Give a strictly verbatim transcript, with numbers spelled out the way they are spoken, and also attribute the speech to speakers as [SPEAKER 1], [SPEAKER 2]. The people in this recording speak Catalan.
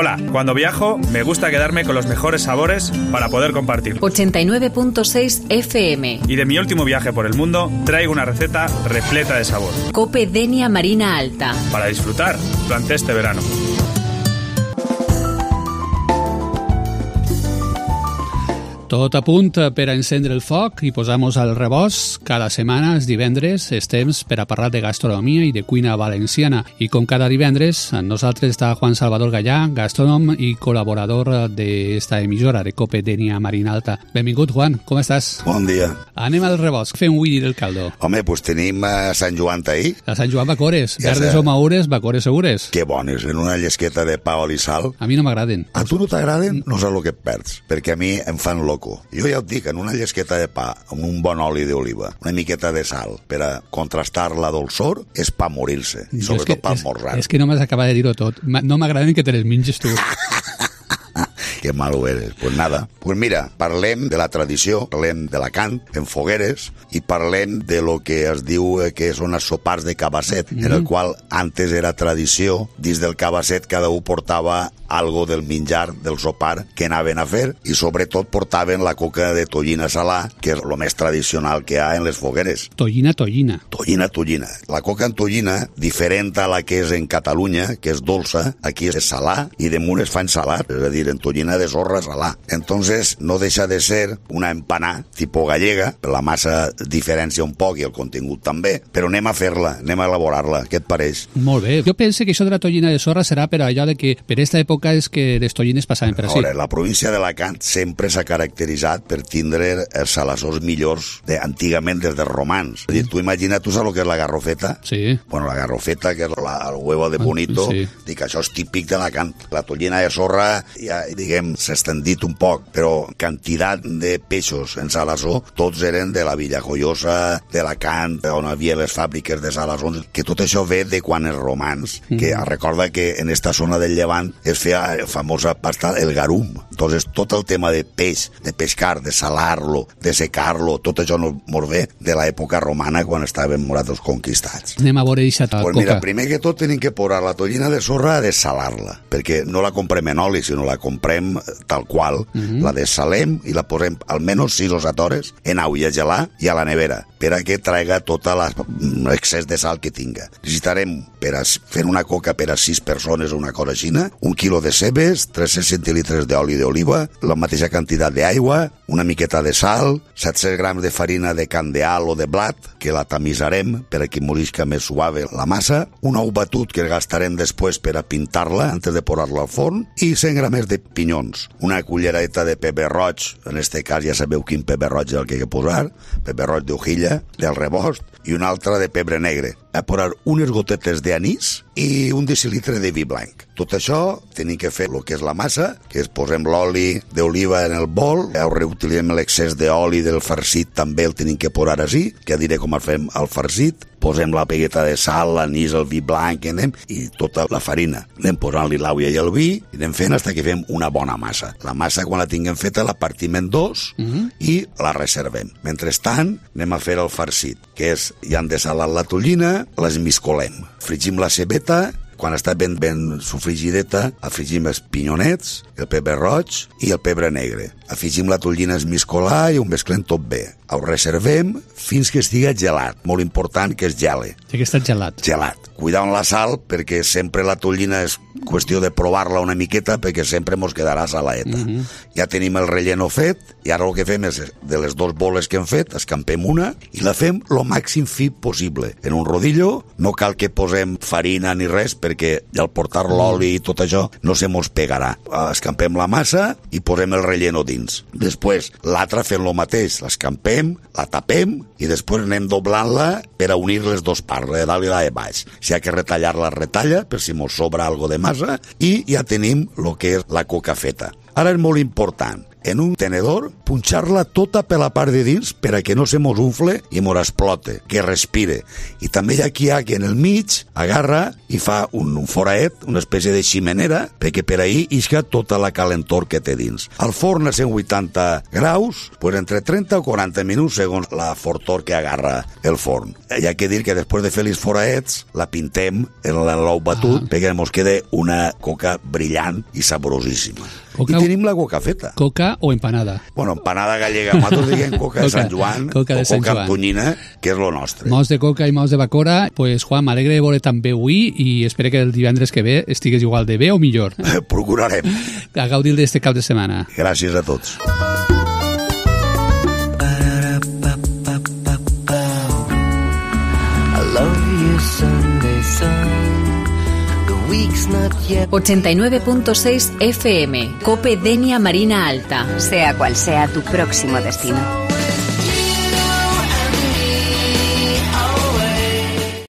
[SPEAKER 1] Hola, cuando viajo me gusta quedarme con los mejores sabores para poder compartir.
[SPEAKER 2] ochenta y nueve punto seis F M.
[SPEAKER 1] Y de mi último viaje por el mundo traigo una receta repleta de sabor.
[SPEAKER 2] Cope Denia Marina Alta.
[SPEAKER 1] Para disfrutar durante este verano.
[SPEAKER 3] Tot a punt per a encendre el foc i posar-nos al rebost. Cada setmana, els divendres, és temps per a parlar de gastronomia i de cuina valenciana. I com cada divendres, amb nosaltres està Juan Salvador Gallà, gastrònom i col·laborador d'esta emissora de Cope Denia Marina Alta. Benvingut, Juan, com estàs?
[SPEAKER 4] Bon dia.
[SPEAKER 3] Anem al rebost. Fem avui del caldo.
[SPEAKER 4] Home, doncs tenim a Sant Joan ahir.
[SPEAKER 3] A Sant Joan bacores.
[SPEAKER 4] Ja
[SPEAKER 3] Verdes
[SPEAKER 4] sé.
[SPEAKER 3] o maures, bacores segures.
[SPEAKER 4] Que bones, en una llesqueta de pa, oli i sal.
[SPEAKER 3] A mi no m'agraden.
[SPEAKER 4] A tu no t'agraden? No saps el que et perds, perquè a mi em fan loco. Jo ja et dic, en una llesqueta de pa amb un bon oli d'oliva, una miqueta de sal per a contrastar la dolçor, és pa morir-se, i
[SPEAKER 3] Jo és que-
[SPEAKER 4] sobretot pa
[SPEAKER 3] és-
[SPEAKER 4] esmorzar.
[SPEAKER 3] És que no m'has acabat de dir-ho tot. Ma- No m'agraden que te les menges tu.
[SPEAKER 4] Que malo eres. Pues nada. Pues mira, parlem de la tradició, parlem d'Alacant, en fogueres, i parlem de lo que es diu eh, que són els sopars de cabasset, mm. en el qual antes era tradició, dins del cabasset cada un portava algo del menjar, del sopar, que anaven a fer, i sobretot portaven la coca de tollina salà, que és el més tradicional que hi ha en les fogueres.
[SPEAKER 3] Tollina, tollina.
[SPEAKER 4] Tollina, tollina. La coca en tollina, diferent a la que és en Catalunya, que és dolça, aquí és salà, i damunt es fa en salat, és a dir, en tollina de sorra salà. Entonces, no deixa de ser una empanà tipus gallega, la massa diferència un poc i el contingut també, però anem a fer-la, anem a elaborar-la. Què et pareix?
[SPEAKER 3] Molt bé. Jo penso que això de la tollina de sorra serà per allò de que per aquesta època és que les tollines passaven per ací.
[SPEAKER 4] Ara, la província d'Alacant sempre s'ha caracteritzat per tindre els salassors millors de, antigament des dels romans. És a dir, tu imagina, tu saps el que és la garrofeta?
[SPEAKER 3] Sí.
[SPEAKER 4] Bueno, la garrofeta, que és la, el huevo de bonito,
[SPEAKER 3] Sí.
[SPEAKER 4] dic, això és típic d'Alacant. La tollina de sorra, ja, diguem, s'ha extendit un poc, però quantitat de peixos en salassó, tots eren de la Villa Joiosa, d'Alacant, on hi havia les fàbriques de salassons, que tot això ve de quan els romans, mm. que recorda que en esta zona del Llevant es feia la famosa pasta, el garum. Entonces, tot el tema de peix, de pescar, de salar-lo, de secar-lo, tot això no mos ve de l'època romana, quan estaven nosaltres conquistats.
[SPEAKER 3] Anem a veure eixa
[SPEAKER 4] Pues
[SPEAKER 3] coca.
[SPEAKER 4] mira, primer que tot tenim que posar la tollina de sorra a dessalar-la, perquè no la comprem en oli, sinó la comprem tal qual, uh -huh. la dessalem i la posem almenys sis o set hores en aigua a gelar i a la nevera, per a que traiga tot l'excés de sal que tinga. Necessitarem, per a fer una coca per a sis persones o una cosa així, un quilo de cebes, tres-cents centilitres d'oli d'oliva, la mateixa quantitat d'aigua, una miqueta de sal, set-cents grams de farina de candeal o de blat, que la tamisarem per a que morisca més suave la massa, un ou batut que gastarem després per a pintar-la antes de posar-la al forn, i cent grams de pinyons, una cullereta de pebre roig, en este cas ja sabeu quin pebre roig és el que he de posar, pebre roig d'hojilla, del rebost, i una altra de pebre negre. A posar unes gotetes d'anís i un decilitre de vi blanc. Tot això tenim que fer el que és la massa, que és posem l'oli d'oliva en el bol, ja reutilitzem l'excés d'oli del farcit, també el tenim que posar així, que ja diré com el fem al farcit, posem la pegueta de sal, l'anís, el vi blanc, anem, i tota la farina. Anem posant-li l'aigua i el vi, i anem fent fins que fem una bona massa. La massa, quan la tinguem feta, la partim en dos uh -huh. i la reservem. Mentrestant, anem a fer el farcit, que és, ja han desalat la tollina, l'esmiscolem. Frigim la cebeta, quan està ben, ben sofrigideta, afegim els pinyonets, el pebre roig i el pebre negre. Afegim la tollina esmiscolada i ho mesclem tot bé. Ho reservem fins que estigui gelat. Molt important que es gele.
[SPEAKER 3] Té que estar gelat.
[SPEAKER 4] Gelat. Cuidar amb la sal, perquè sempre la tollina és qüestió de provar-la una miqueta, perquè sempre mos quedarà saladeta. Uh -huh. Ja tenim el relleno fet, i ara el que fem és, de les dues boles que hem fet, escampem una, i la fem lo màxim fi possible. En un rodillo, no cal que posem farina ni res, perquè al portar l'oli i tot això no se mos pegarà. Escampem la massa i posem el relleno dins. Després, l'altra fem lo mateix, l'escampem, la tapem i després anem doblant-la per a unir les dues parts, la de dalt i la de baix. Si ha que retallar-la, retalla, per si mos sobra algo de massa, i ja tenim el que és la coca feta. Ara és molt important, en un tenedor, punxar-la tota per la part de dins per a que no se mos unfle i mos explote, que respire. I també hi ha qui ha que en el mig agarra i fa un, un foraet, una espècie de ximenera, perquè per ahí isca tota la calentor que té dins. Al forn a cent vuitanta graus, pues entre trenta o quaranta minuts segons la fortor que agarra el forn. Hi ha que dir que després de fer els foraets, la pintem en l'ou batut, ah. perquè mos queda una coca brillant i saborosíssima. Coca, I tenim la coca feta.
[SPEAKER 3] Coca o empanada?
[SPEAKER 4] Bueno, empanada gallega. Nosaltres diguem coca de Sant Joan
[SPEAKER 3] coca de
[SPEAKER 4] o
[SPEAKER 3] Sant
[SPEAKER 4] coca
[SPEAKER 3] Joan.
[SPEAKER 4] amb tonyina, que és lo nostre.
[SPEAKER 3] Mos de coca i mos de bacora. Pues, Juan, m'alegre de veure també avui i espero que el divendres que ve estigues igual de bé o millor.
[SPEAKER 4] Procurarem.
[SPEAKER 3] A gaudir d'este cap de setmana.
[SPEAKER 4] Gràcies a tots.
[SPEAKER 5] I love you, Sunday sun.
[SPEAKER 2] ochenta y nueve punto seis F M, Cope Denia Marina Alta.
[SPEAKER 6] Sea cual sea tu próximo destino.